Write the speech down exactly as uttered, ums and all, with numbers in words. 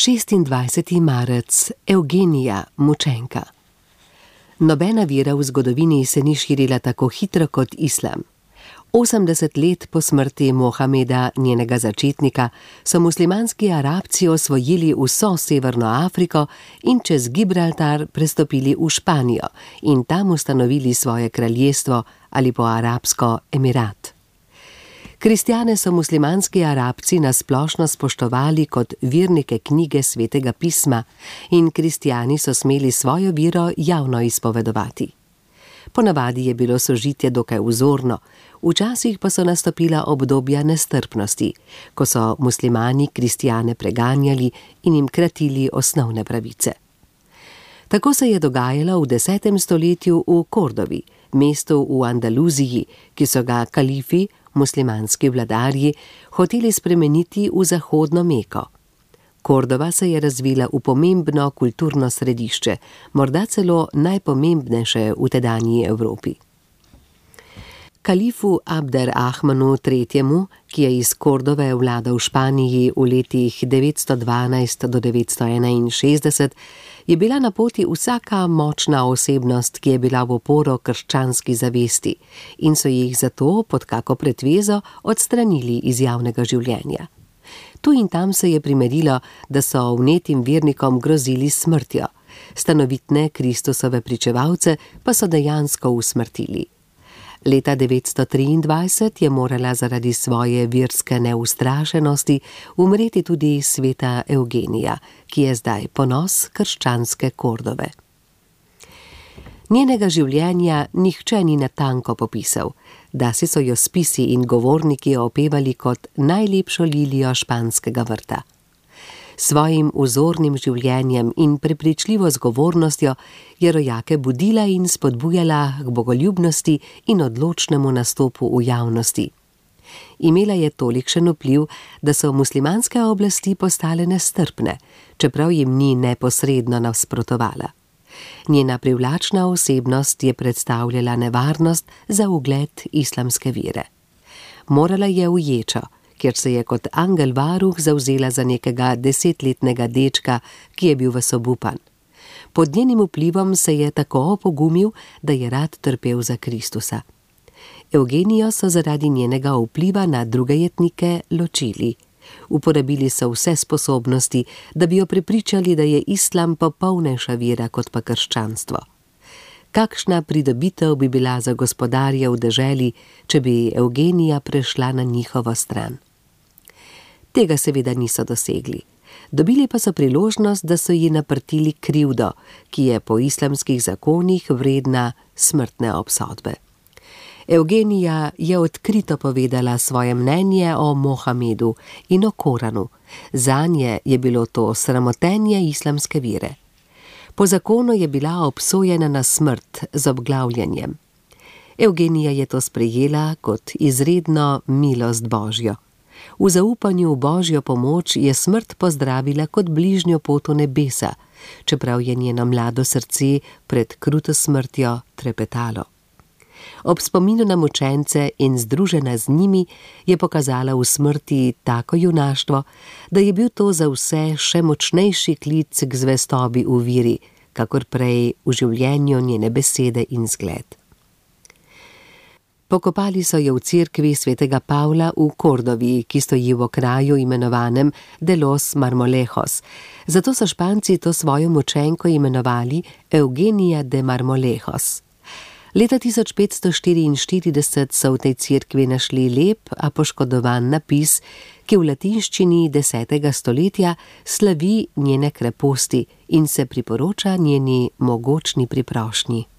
šestindvajseti marec, Evgenija, mučenka. Nobena vera v zgodovini se ni širila tako hitro kot islam. Osemdeset let po smrti Mohameda, njenega začetnika, so muslimanski Arabci osvojili vso Severno Afriko in čez Gibraltar prestopili v Španijo in tam ustanovili svoje kraljestvo ali po arabsko emirat. Kristjane so muslimanski Arabci nasplošno spoštovali kot vernike knjige Svetega pisma in kristjani so smeli svojo vero javno izpovedovati. Ponavadi je bilo sožitje dokaj vzorno, včasih pa so nastopila obdobja nestrpnosti, ko so muslimani kristjane preganjali in jim kratili osnovne pravice. Tako se je dogajalo v desetem stoletju v Kordovi, mestu v Andaluziji, ki so ga kalifi, muslimanski vladarji, hoteli spremeniti v zahodno Meko. Kordova se je razvila v pomembno kulturno središče, morda celo najpomembnejše v tedanji Evropi. Kalifu Abder Ahmanu tretjemu, ki je iz Kordove vladal v Španiji v letih devetsto dvanajst do devetsto enainšestdeset, je bila na poti vsaka močna osebnost, ki je bila v oporo krščanski zavesti in so jih zato pod kako pretvezo odstranili iz javnega življenja. Tu in tam se je primerilo, da so vnetim vernikom grozili smrtjo, stanovitne Kristusove pričevalce pa so dejansko usmrtili. Leta devetsto triindvajset je morala zaradi svoje verske neustrašenosti umreti tudi sveta Evgenija, ki je zdaj ponos krščanske Kordove. Njenega življenja nihče ni natanko popisal, dasi so jo spisi in govorniki opevali kot najlepšo lilijo španskega vrta. Svojim vzornim življenjem in prepričljivo zgovornostjo je rojake budila in spodbujala k bogoljubnosti in odločnemu nastopu v javnosti. Imela je tolikšen vpliv, da so muslimanske oblasti postale nestrpne, čeprav jim ni neposredno nasprotovala. Njena privlačna osebnost je predstavljala nevarnost za ugled islamske vere. Morala je v ječo, kjer se je kot angel varuh zavzela za nekega desetletnega dečka, ki je bil ves obupan. Pod njenim vplivom se je tako opogumil, da je rad trpel za Kristusa. Evgenijo so zaradi njenega vpliva na druge jetnike ločili. Uporabili so vse sposobnosti, da bi jo prepričali, da je islam popolnejša vera kot pa krščanstvo. Kakšna pridobitev bi bila za gospodarje v deželi, če bi Evgenija prešla na njihovo stran? Tega seveda niso dosegli. Dobili pa so priložnost, da so ji naprtili krivdo, ki je po islamskih zakonih vredna smrtne obsodbe. Evgenija je odkrito povedala svoje mnenje o Mohamedu in o Koranu. Zanje je bilo to sramotenje islamske vere. Po zakonu je bila obsojena na smrt z obglavljanjem. Evgenija je to sprejela kot izredno milost Božjo. V zaupanju v Božjo pomoč je smrt pozdravila kot bližnjo pot v nebesa, čeprav je njeno mlado srce pred kruto smrtjo trepetalo. Ob spominu na mučence in združena z njimi je pokazala v smrti tako junaštvo, da je bil to za vse še močnejši klic k zvestobi v veri, kakor prej v življenju njene besede in zgled. Pokopali so jo v cerkvi svetega Pavla v Kordovi, ki stoji v kraju imenovanem de los Marmolejos. Zato so Španci to svojo mučenko imenovali Evgenija de Marmolejos. Leta tisoč petsto štiriinštirideset so v tej cerkvi našli lep, a poškodovan napis, ki v latinščini desetega stoletja slavi njene kreposti in se priporoča njeni mogočni priprošnji.